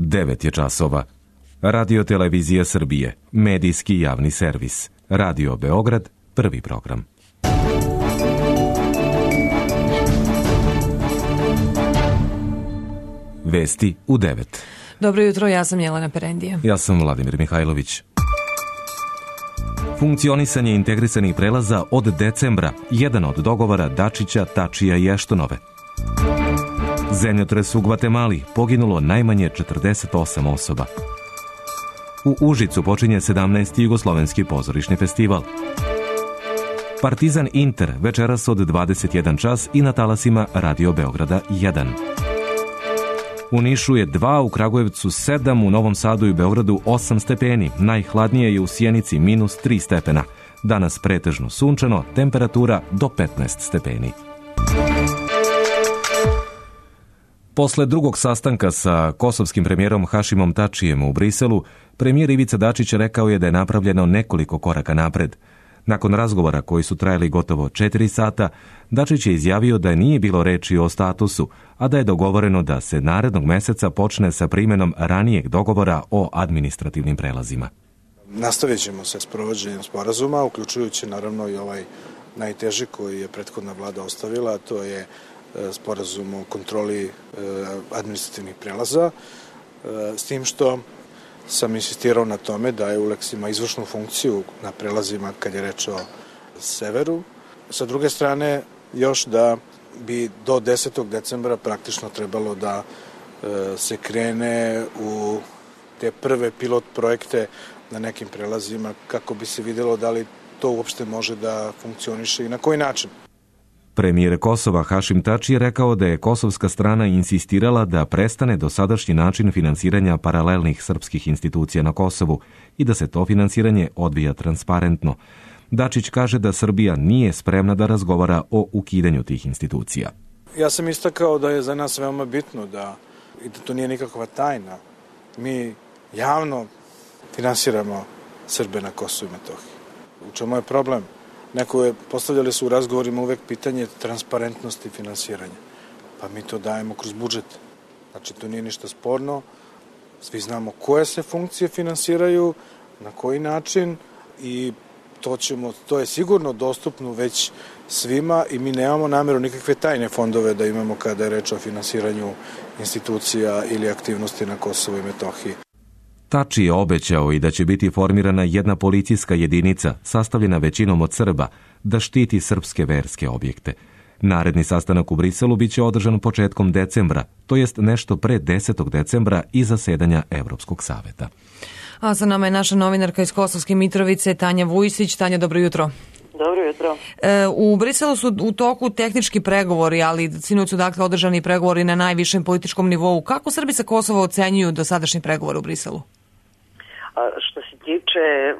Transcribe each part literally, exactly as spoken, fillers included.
devet je časova. Radio Televizija Srbije, medijski javni servis. Radio Beograd, prvi program. Vesti u devet. Dobro jutro, ja sam Jelena Perendija. Ja sam Vladimir Mihajlović. Funkcionisanje integrisanih prelaza od decembra, jedan od dogovora Dačića, Tačija i Eštonove. Zemljotres u Gvatemali, poginulo najmanje četrdeset osam osoba. U Užicu počinje sedamnaesti Jugoslovenski pozorišni festival. Partizan Inter večeras od dvadeset jedan čas i na talasima Radio Beograda jedan. U Nišu je dva, u Kragujevcu sedam, u Novom Sadu i Beogradu osam stepeni. Najhladnije je u Sjenici minus tri stepena. Danas pretežno sunčano, temperatura do petnaest stepeni. Posle drugog sastanka sa kosovskim premijerom Hašimom Tačijem u Briselu, premijer Ivica Dačić rekao je da je napravljeno nekoliko koraka napred. Nakon razgovora koji su trajali gotovo četiri sata, Dačić je izjavio da nije bilo reči o statusu, a da je dogovoreno da se narednog meseca počne sa primjenom ranijeg dogovora o administrativnim prelazima. Nastavit ćemo sa sprovođenjem sporazuma, uključujući naravno i ovaj najteži koji je prethodna vlada ostavila, a to je sporazum o kontroli administrativnih prelaza, s tim što sam insistirao na tome da EULEX ima izvršnu funkciju na prelazima kad je reč o severu. Sa druge strane, još da bi do desetog decembra praktično trebalo da se krene u te prve pilot projekte na nekim prelazima kako bi se vidjelo da li to uopšte može da funkcioniše i na koji način. Premijer Kosova Hašim Tači je rekao da je kosovska strana insistirala da prestane dosadašnji način finansiranja paralelnih srpskih institucija na Kosovu i da se to finansiranje odvija transparentno. Dačić kaže da Srbija nije spremna da razgovara o ukidanju tih institucija. Ja sam istakao da je za nas veoma bitno da, i da to nije nikakva tajna. Mi javno finansiramo Srbe na Kosovu i Metohiji. U čemu je problem? Neko je, postavljali su u razgovorima uvek pitanje transparentnosti finansiranja. Pa mi to dajemo kroz budžet. Znači, to nije ništa sporno. Svi znamo koje se funkcije finansiraju, na koji način i to, ćemo, to je sigurno dostupno već svima i mi nemamo namjeru nikakve tajne fondove da imamo kada je reč o finansiranju institucija ili aktivnosti na Kosovu i Metohiji. Tači je obećao i da će biti formirana jedna policijska jedinica sastavljena većinom od Srba da štiti srpske verske objekte. Naredni sastanak u Briselu biće održan početkom decembra, to jest nešto pre desetog decembra i zasedanja Evropskog saveta. A sa nama je naša novinarka iz Kosovske Mitrovice, Tanja Vujsić. Tanja, dobro jutro. Dobro jutro. E, u Briselu su u toku tehnički pregovori, ali sinoć su dakle održani pregovori na najvišem političkom nivou. Kako Srbi sa Kosova ocenjuju dosadašnji pregovor u Briselu? Što se tiče uh,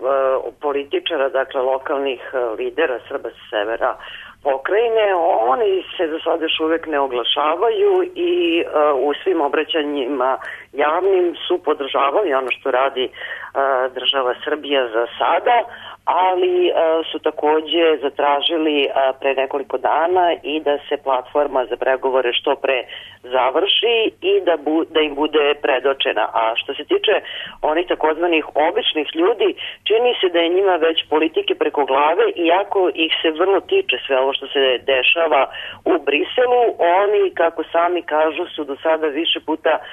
političara, dakle lokalnih uh, lidera Srba sa severa pokrajine, oni se za sada još uvek ne oglašavaju i uh, u svim obraćanjima javnim su podržavali ono što radi uh, država Srbija za sada, ali uh, su takođe zatražili uh, pre nekoliko dana i da se platforma za pregovore što pre završi i da, bu, da im bude predočena. A što se tiče onih takozvanih običnih ljudi, čini se da je njima već politike preko glave, iako ih se vrlo tiče sve ovo što se dešava u Briselu, oni, kako sami kažu, su do sada više puta uh,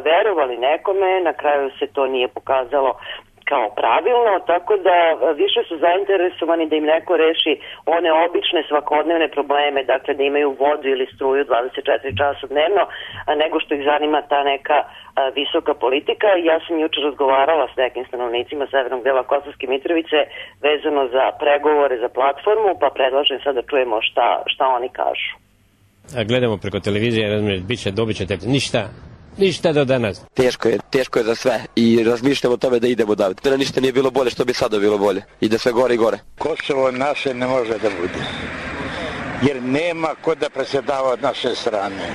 verovali nekome, na kraju se to nije pokazalo kao pravilno, tako da više su zainteresovani da im neko reši one obične svakodnevne probleme, dakle da imaju vodu ili struju dvadeset četiri časa dnevno, nego što ih zanima ta neka a, visoka politika. Ja sam jučer razgovarala s nekim stanovnicima severnog dela Kosovske Mitrovice vezano za pregovore za platformu, pa predlažem sad da čujemo šta, šta oni kažu. A gledamo preko televizije, razumiješ, bit će, dobit ćete ništa. Ništa do danas. Teško je, teško je za sve i razmišljamo o tome da idemo daviti. Da ništa nije bilo bolje što bi sada bilo bolje. I da sve gore i gore. Kosovo naše ne može da bude. Jer nema ko da presedava od naše strane.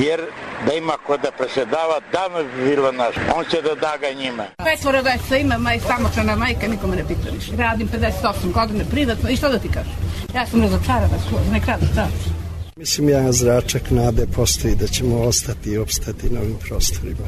Jer da ima ko da presedava, davno bi bilo naše. On će da daga njima. Petvora djeca ima, maj samohrana majka, nikome ne pita ništa. Radim pedeset osam godine privatno i što da ti kažem? Ja sam razočarana skoro, ne kradu, da. Mislim, ja zračak nade postoji da ćemo ostati i opstati na ovim prostorima.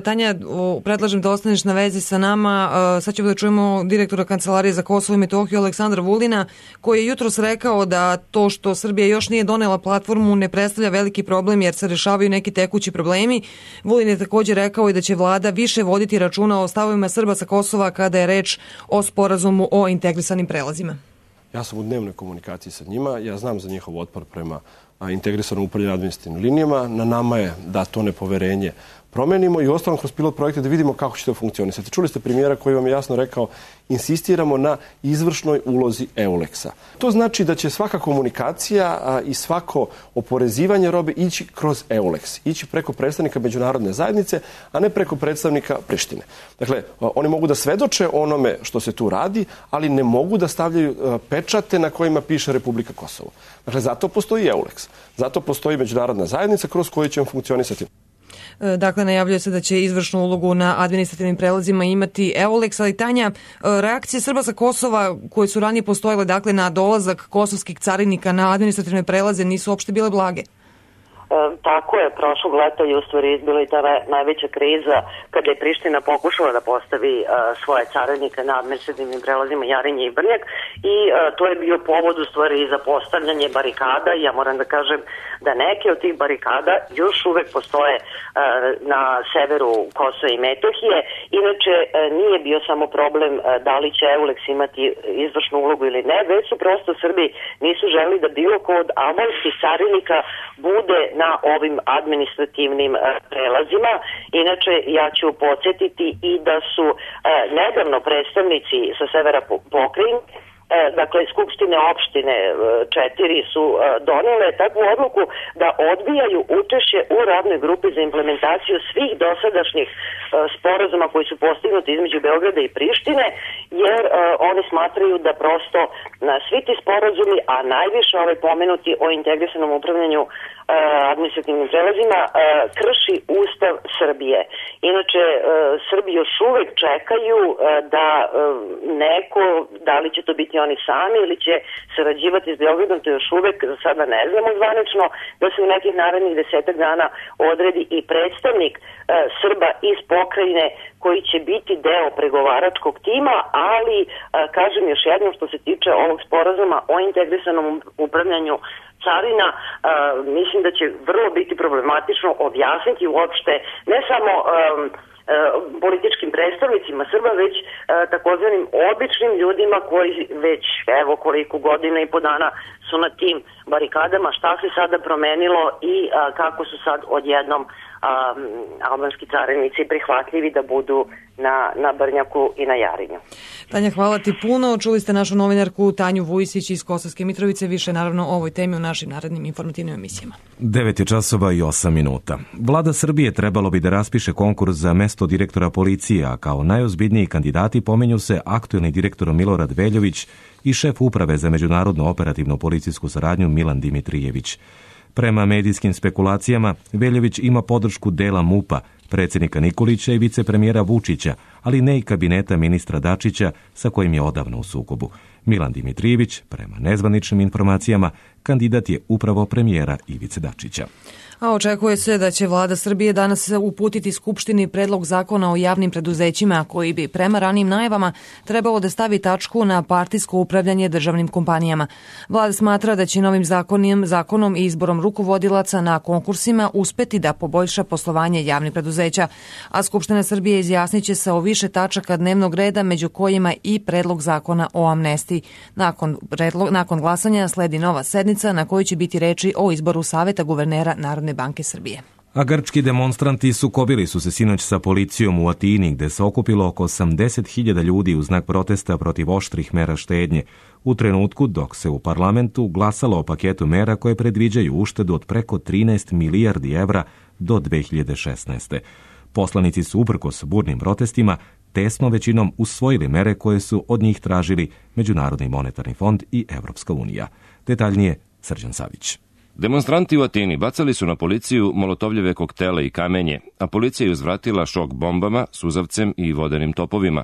Tanja, predlažem da ostaneš na vezi sa nama. Sad ćemo da čujemo direktora Kancelarije za Kosovo i Metohiju Aleksandra Vulina, koji je jutros rekao da to što Srbija još nije donela platformu ne predstavlja veliki problem jer se rešavaju neki tekući problemi. Vulin je također rekao i da će vlada više voditi računa o stavovima Srba sa Kosova kada je reč o sporazumu o integrisanim prelazima. Ja sam u dnevnoj komunikaciji sa njima, ja znam za njihov otpor prema integrisanom upravljanju administrativnim linijama. Na nama je da to nepoverenje promenimo i ostalom kroz pilot projekte da vidimo kako će to funkcionisati. Čuli ste premijera koji vam je jasno rekao, insistiramo na izvršnoj ulozi EULEX-a. To znači da će svaka komunikacija a, i svako oporezivanje robe ići kroz EULEX, ići preko predstavnika međunarodne zajednice, a ne preko predstavnika Prištine. Dakle, oni mogu da svedoče onome što se tu radi, ali ne mogu da stavljaju a, pečate na kojima piše Republika Kosovo. Dakle, zato postoji EULEX, zato postoji međunarodna zajednica kroz koju ćemo funkcionisati. Dakle, najavljuje se da će izvršnu ulogu na administrativnim prelazima imati EULEX, ali Tanja, reakcije Srba sa Kosova koje su ranije postojale, dakle, na dolazak kosovskih carinika na administrativne prelaze nisu uopšte bile blage. E, tako je, prošlog leta je u stvari izbila i ta najveća kriza kada je Priština pokušala da postavi e, svoje carinike na administrativnim prelazima Jarinje i Brnjak i e, to je bio povod u stvari za postavljanje barikada i ja moram da kažem da neke od tih barikada još uvek postoje e, na severu Kosova i Metohije. Inače, e, nije bio samo problem e, da li će EULEX imati izvršnu ulogu ili ne, već su prosto Srbi nisu želeli da bilo ko od albanskih carinika bude na ovim administrativnim e, prelazima. Inače, ja ću podsjetiti i da su e, nedavno predstavnici sa severa pokrajine, E, dakle, skupštine opštine četiri su e, donele takvu odluku da odbijaju učešće u radnoj grupi za implementaciju svih dosadašnjih e, sporazuma koji su postignuti između Beograda i Prištine, jer e, oni smatraju da prosto na svi ti sporazumi, a najviše ovaj pomenuti o integrisanom upravljanju e, administrativnim prelazima, e, krši Ustav Srbije. Inače, e, Srbi još uvek čekaju e, da e, neko, da li će to biti oni sami ili će sarađivati s Beogradom, to još uvek za sada ne znamo zvanično, da se u nekih narednih desetak dana odredi i predstavnik e, Srba iz pokrajine koji će biti deo pregovaračkog tima, ali e, kažem još jednom što se tiče ovog sporazuma o integrisanom upravljanju carina, e, mislim da će vrlo biti problematično objasniti uopšte ne samo e, političkim predstavnicima Srba, već e, takozvanim običnim ljudima koji već evo koliko godina i po dana su na tim barikadama, šta se sada promenilo i a, kako su sad odjednom a, albanski carinici prihvatljivi da budu na, na Brnjaku i na Jarinju. Tanja, hvala ti puno. Čuli ste našu novinarku Tanju Vujisić iz Kosovske Mitrovice. Više naravno o ovoj temi u našim narednim informativnim emisijama. devet je časova i osam minuta. Vlada Srbije trebalo bi da raspiše konkurs za mesto direktora policije, a kao najozbiljniji kandidati pomenju se aktuelni direktor Milorad Veljović i šef uprave za međunarodnu operativnu policijsku saradnju Milan Dimitrijević. Prema medijskim spekulacijama, Veljović ima podršku dela MUP-a, predsjednika Nikolića i vicepremijera Vučića, ali ne i kabineta ministra Dačića sa kojim je odavno u sukobu. Milan Dimitrijević, prema nezvaničnim informacijama, kandidat je upravo premijera Ivice Dačića. A očekuje se da će vlada Srbije danas uputiti Skupštini predlog zakona o javnim preduzećima koji bi prema ranijim najavama trebalo da stavi tačku na partijsko upravljanje državnim kompanijama. Vlada smatra da će novim zakonom, zakonom i izborom rukovodilaca na konkursima uspeti da poboljša poslovanje javnih preduzeća, a Skupština Srbije izjasnit će se o više tačaka dnevnog reda, među kojima i predlog zakona o amnestiji. Nakon, predlog, nakon glasanja sledi nova sednica na kojoj će biti reči o izboru Saveta guvernera Narodne banke Srbije. A grčki demonstranti sukobili su se sinoć sa policijom u Atini, gde se okupilo oko osamdeset hiljada ljudi u znak protesta protiv oštrih mera štednje, u trenutku dok se u parlamentu glasalo o paketu mera koje predviđaju uštedu od preko trinaest milijardi evra do dve hiljade šesnaeste. Poslanici su uprkos burnim protestima tesnom većinom usvojili mere koje su od njih tražili Međunarodni monetarni fond i Evropska unija. Detaljnije Srđan Savić. Demonstranti u Atini bacali su na policiju molotovljeve koktele i kamenje, a policija je uzvratila šok bombama, suzavcem i vodenim topovima.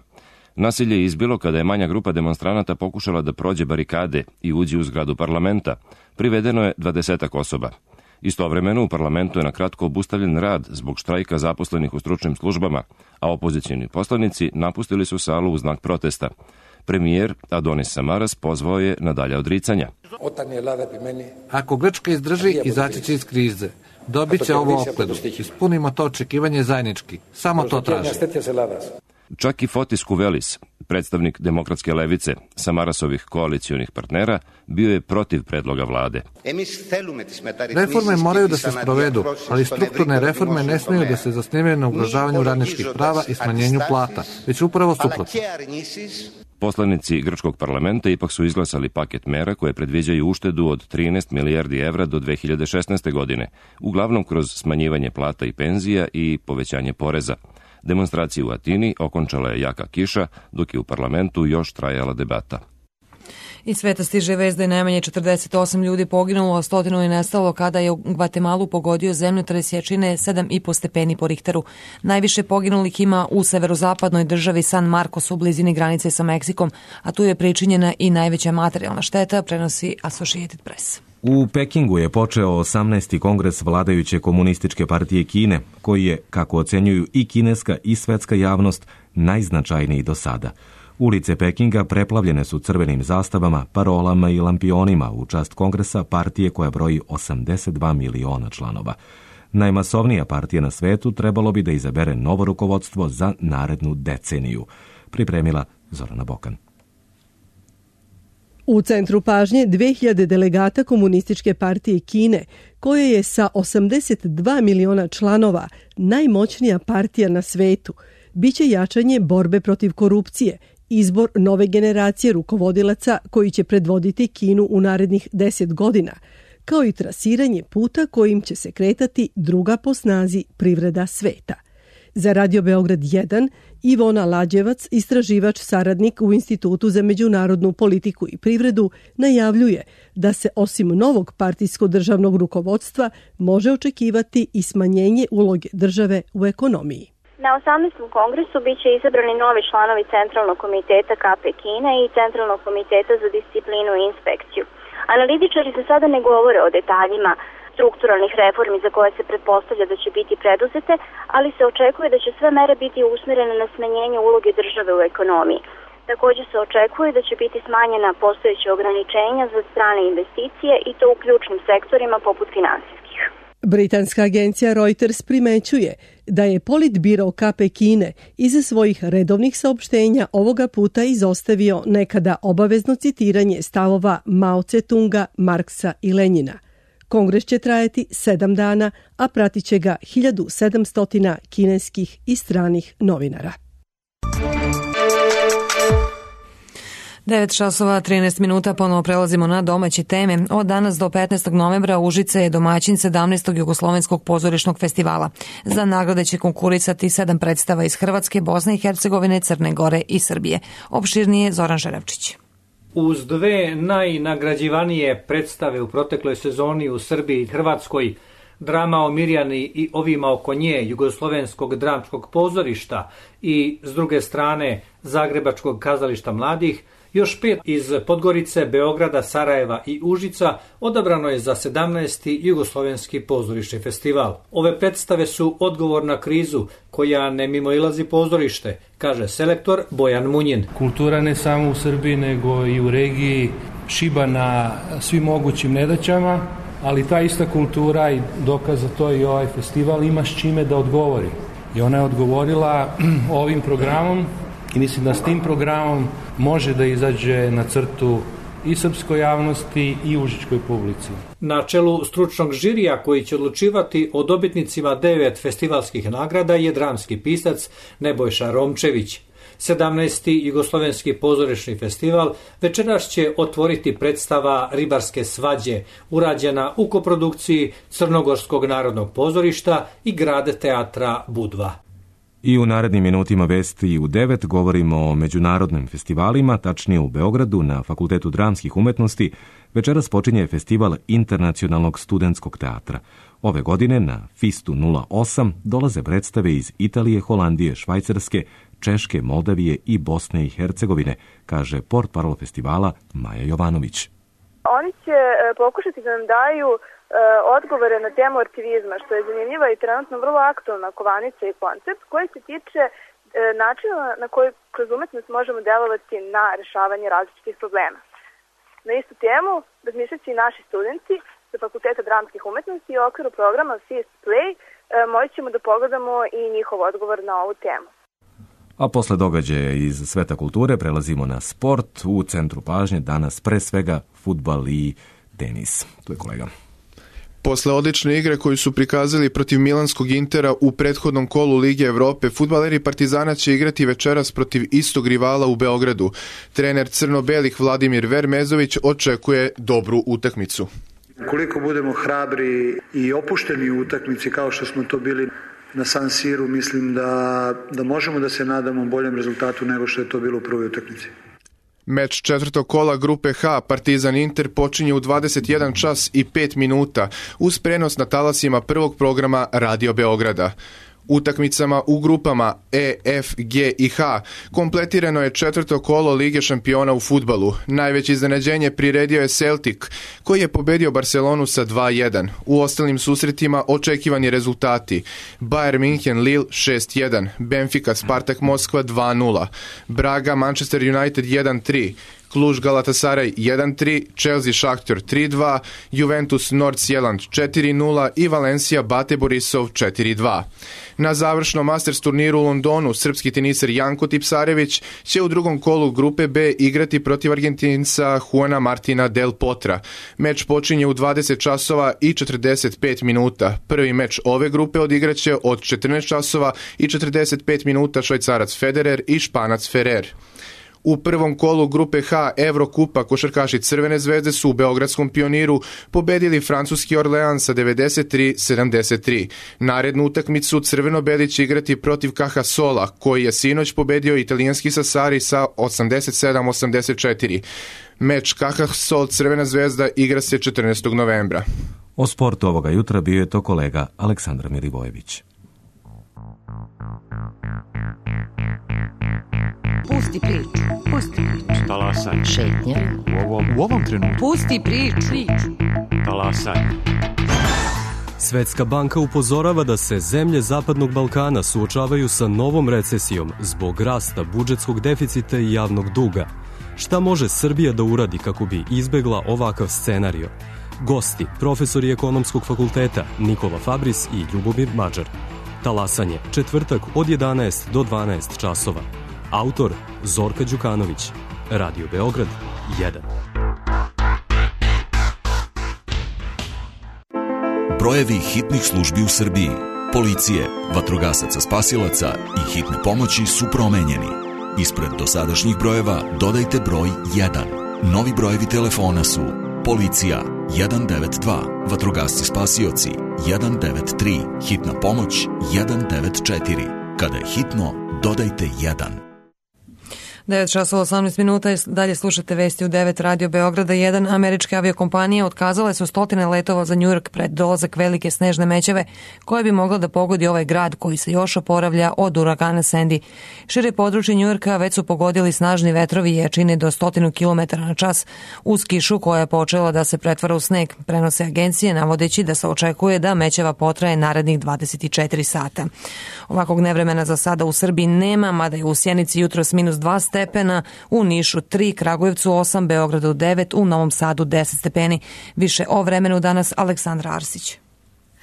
Nasilje je izbilo kada je manja grupa demonstranata pokušala da prođe barikade i uđe u zgradu parlamenta. Privedeno je dvadesetak osoba. Istovremeno u parlamentu je na kratko obustavljen rad zbog štrajka zaposlenih u stručnim službama, a opozicioni poslanici napustili su salu u znak protesta. Premijer Adonis Samaras pozvao je na dalja odricanja. Ako Grčka izdrži, izaći će iz krize. Dobit će ovo opledu. Ispunimo to očekivanje zajednički. Samo to traži. Čak i Fotis Kuvelis, predstavnik demokratske levice, Samarasovih koalicionih partnera, bio je protiv predloga vlade. Reforme moraju da se sprovedu, ali strukturne reforme ne smiju da se zasnivaju na ugrožavanju radničkih prava i smanjenju plata, već upravo suprotno. Poslanici grčkog parlamenta ipak su izglasali paket mera koje predviđaju uštedu od trinaest milijardi evra do dve hiljade šesnaeste. godine, uglavnom kroz smanjivanje plata i penzija i povećanje poreza. Demonstraciju u Atini okončala je jaka kiša, dok je u parlamentu još trajala debata. Iz sveta stiže vest da je najmanje četrdeset osam ljudi poginulo, a stotinu je nestalo kada je u Gvatemalu pogodio zemljotres jačine sedam i po stepeni po Richteru. Najviše poginulih ima u severozapadnoj državi San Marcos u blizini granice sa Meksikom, a tu je pričinjena i najveća materijalna šteta, prenosi Associated Press. U Pekingu je počeo osamnaesti kongres vladajuće komunističke partije Kine, koji je, kako ocenjuju i kineska i svetska javnost, najznačajniji do sada. Ulice Pekinga preplavljene su crvenim zastavama, parolama i lampionima u čast kongresa partije koja broji osamdeset dva miliona članova. Najmasovnija partija na svetu trebalo bi da izabere novo rukovodstvo za narednu deceniju, pripremila Zorana Bokan. U centru pažnje dve hiljade delegata Komunističke partije Kine, koja je sa osamdeset dva miliona članova najmoćnija partija na svetu, biće jačanje borbe protiv korupcije, izbor nove generacije rukovodilaca koji će predvoditi Kinu u narednih deset godina, kao i trasiranje puta kojim će se kretati druga po snazi privreda sveta. Za Radio Beograd jedan, Ivona Lađevac, istraživač saradnik u Institutu za međunarodnu politiku i privredu, najavljuje da se osim novog partijsko-državnog rukovodstva može očekivati i smanjenje uloge države u ekonomiji. Na osamnaestom kongresu biće izabrani novi članovi Centralnog komiteta K P Kine i Centralnog komiteta za disciplinu i inspekciju. Analitičari za sada ne govore o detaljima strukturalnih reformi za koje se pretpostavlja da će biti preduzete, ali se očekuje da će sve mere biti usmjerene na smanjenje uloge države u ekonomiji. Također se očekuje da će biti smanjena postojeća ograničenja za strane investicije i to u ključnim sektorima poput finansijskih. Britanska agencija Reuters primećuje da je politbiro K P Kine iza svojih redovnih saopštenja ovoga puta izostavio nekada obavezno citiranje stavova Mao Tse-tunga, Marksa i Lenjina. Kongres će trajati sedam dana, a pratit će ga hiljadu sedamsto kineskih i stranih novinara. devet časova trinaest minuta, ponovo prelazimo na domaće teme. Od danas do petnaestog novembra Užice je domaćin sedamnaestog Jugoslovenskog pozorišnog festivala. Za nagrade će konkurisati sedam predstava iz Hrvatske, Bosne i Hercegovine, Crne Gore i Srbije. Opširnije Zoran Žerevčić. Uz dve najnagrađivanije predstave u protekloj sezoni u Srbiji i Hrvatskoj, drama o Mirjani i ovima oko nje Jugoslovenskog dramskog pozorišta i, s druge strane, Zagrebačkog kazališta mladih, još pet iz Podgorice, Beograda, Sarajeva i Užica odabrano je za sedamnaesti Jugoslovenski pozorišni festival. Ove predstave su odgovor na krizu koja ne mimoilazi pozorište, kaže selektor Bojan Munjin. Kultura ne samo u Srbiji nego i u regiji šiba na svim mogućim nedaćama, ali ta ista kultura i dokaz za to i ovaj festival ima s čime da odgovori. I ona je odgovorila ovim programom i mislim da s tim programom može da izađe na crtu i srpskoj javnosti i užičkoj publici. Na čelu stručnog žirija koji će odlučivati o dobitnicima devet festivalskih nagrada je dramski pisac Nebojša Romčević. sedamnaesti Jugoslovenski pozorišni festival večeras će otvoriti predstava Ribarske svađe, urađena u koprodukciji Crnogorskog narodnog pozorišta i Grad teatra Budva. I u narednim minutima vesti u devet govorimo o međunarodnim festivalima, tačnije u Beogradu na Fakultetu dramskih umetnosti. Večeras počinje festival Internacionalnog studentskog teatra. Ove godine na Fistu nula osam dolaze predstave iz Italije, Holandije, Švajcarske, Češke, Moldavije i Bosne i Hercegovine, kaže portparol festivala Maja Jovanović. Oni će pokušati da nam daju odgovore na temu artivizma, što je zanimljiva i trenutno vrlo aktualna kovanica i koncept koji se tiče načina na koji kroz umetnost možemo delovati na rešavanje različitih problema. Na istu temu razmišljaće i naši studenti sa Fakulteta dramskih umetnosti i u okviru programa Fist Play moći ćemo da pogledamo i njihov odgovor na ovu temu. A posle događaja iz sveta kulture prelazimo na sport. U centru pažnje danas pre svega fudbal i tenis. Tu je kolega. Posle odlične igre koju su prikazali protiv Milanskog Intera u prethodnom kolu Lige Evrope, fudbaleri Partizana će igrati večeras protiv istog rivala u Beogradu. Trener crno-belih Vladimir Vermezović očekuje dobru utakmicu. Koliko budemo hrabri i opušteni u utakmici kao što smo to bili na San Siru, mislim da, da možemo da se nadamo boljem rezultatu nego što je to bilo u prvoj utakmici. Meč četvrtog kola grupe H Partizan Inter počinje u dvadeset jedan čas i pet minuta uz prenos na talasima prvog programa Radio Beograda. Utakmicama u grupama E, F, G i H kompletirano je četvrto kolo Lige šampiona u fudbalu. Najveće iznenađenje priredio je Celtic, koji je pobedio Barcelonu sa dva jedan. U ostalim susretima očekivani rezultati: Bayern München Lille šest jedan, Benfica Spartak Moskva dva nula, Braga Manchester United jedan tri, Kluž Galatasaray jedan tri, Chelsea Šahtjor tri dva, Juventus Nordsjælland četiri nula i Valencia Bate Borisov četiri dva. Na završnom Masters turniru u Londonu srpski teniser Janko Tipsarević će u drugom kolu grupe B igrati protiv Argentinca Juana Martina Del Potra. Meč počinje u dvadeset časova i četrdeset pet minuta. Prvi meč ove grupe odigraće od četrnaest časova i četrdeset pet minuta Švajcarac Federer i Španac Ferrer. U prvom kolu grupe H Evrokupa košarkaši Crvene zvezde su u beogradskom Pioniru pobedili francuski Orlean sa devedeset tri sedamdeset tri. Narednu utakmicu crveno-beli će igrati protiv Cajasola, koji je sinoć pobedio italijanski Sassari sa osamdeset sedam osamdeset četiri. Meč Cajasol Crvena zvezda igra se četrnaestog novembra. O sportu ovoga jutra bio je to kolega Aleksandar Milivojević. Pusti priču, pusti priču. Talasaj. Šetnja. U ovom, u ovom trenutku. Pusti priču. Talasaj. Svetska banka upozorava da se zemlje Zapadnog Balkana suočavaju sa novom recesijom zbog rasta budžetskog deficita i javnog duga. Šta može Srbija da uradi kako bi izbegla ovakav scenario? Gosti, profesori Ekonomskog fakulteta Nikola Fabris i Ljubomir Mađar. Talasanje, četvrtak od jedanaest do dvanaest časova. Autor Zorka Đukanović. Radio Beograd jedan. Brojevi hitnih službi u Srbiji, policije, vatrogasaca spasilaca i hitne pomoći su promenjeni. Ispred dosadašnjih brojeva dodajte broj jedan. Novi brojevi telefona su policija jedan devet dva, vatrogasci spasioci jedan devet tri, hitna pomoć jedan devet četiri. Kada je hitno, dodajte jedan. devet časova osamnaest minuta, dalje slušate vesti u devet Radio Beograda jedan. Američke aviokompanije otkazale su stotine letova za Njujork pred dolazak velike snežne mećave koje bi mogla da pogodi ovaj grad koji se još oporavlja od uragana Sandy. Šire područje Njujorka već su pogodili snažni vetrovi jačine do stotinu kilometara na čas uz kišu koja je počela da se pretvara u sneg, prenose agencije navodeći da se očekuje da mećava potraje narednih dvadeset četiri sata. Ovakvog nevremena za sada u Srbiji nema, mada je u Sjenici jutros minus dva stepena, u Nišu tri, Kragujevcu osam, Beogradu devet, u Novom Sadu deset stepeni. Više o vremenu danas Aleksandra Arsić.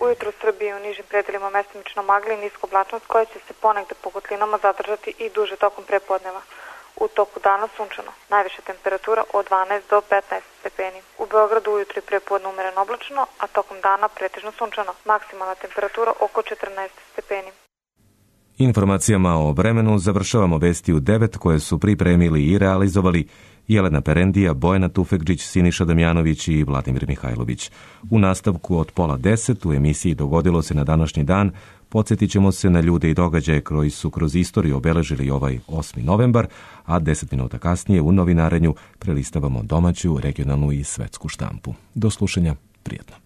Ujutro u Srbiji u nižim predelima mestimično magli i niska oblačnost koja će se ponegde po kotlinama zadržati i duže tokom prepodneva. U toku dana sunčano. Najviša temperatura od dvanaest do petnaest stepeni. U Beogradu ujutro i prepodne umereno oblačno, a tokom dana pretežno sunčano. Maksimalna temperatura oko četrnaest stepeni. Informacijama o vremenu završavamo vesti u devet koje su pripremili i realizovali Jelena Perendija, Bojana Tufekđić, Siniša Damjanović i Vladimir Mihajlović. U nastavku od pola deset u emisiji Dogodilo se na današnji dan podsjetit ćemo se na ljude i događaje koji su kroz istoriju obeležili ovaj osmi novembar, a deset minuta kasnije u novinarenju prelistavamo domaću, regionalnu i svetsku štampu. Do slušanja, prijatno.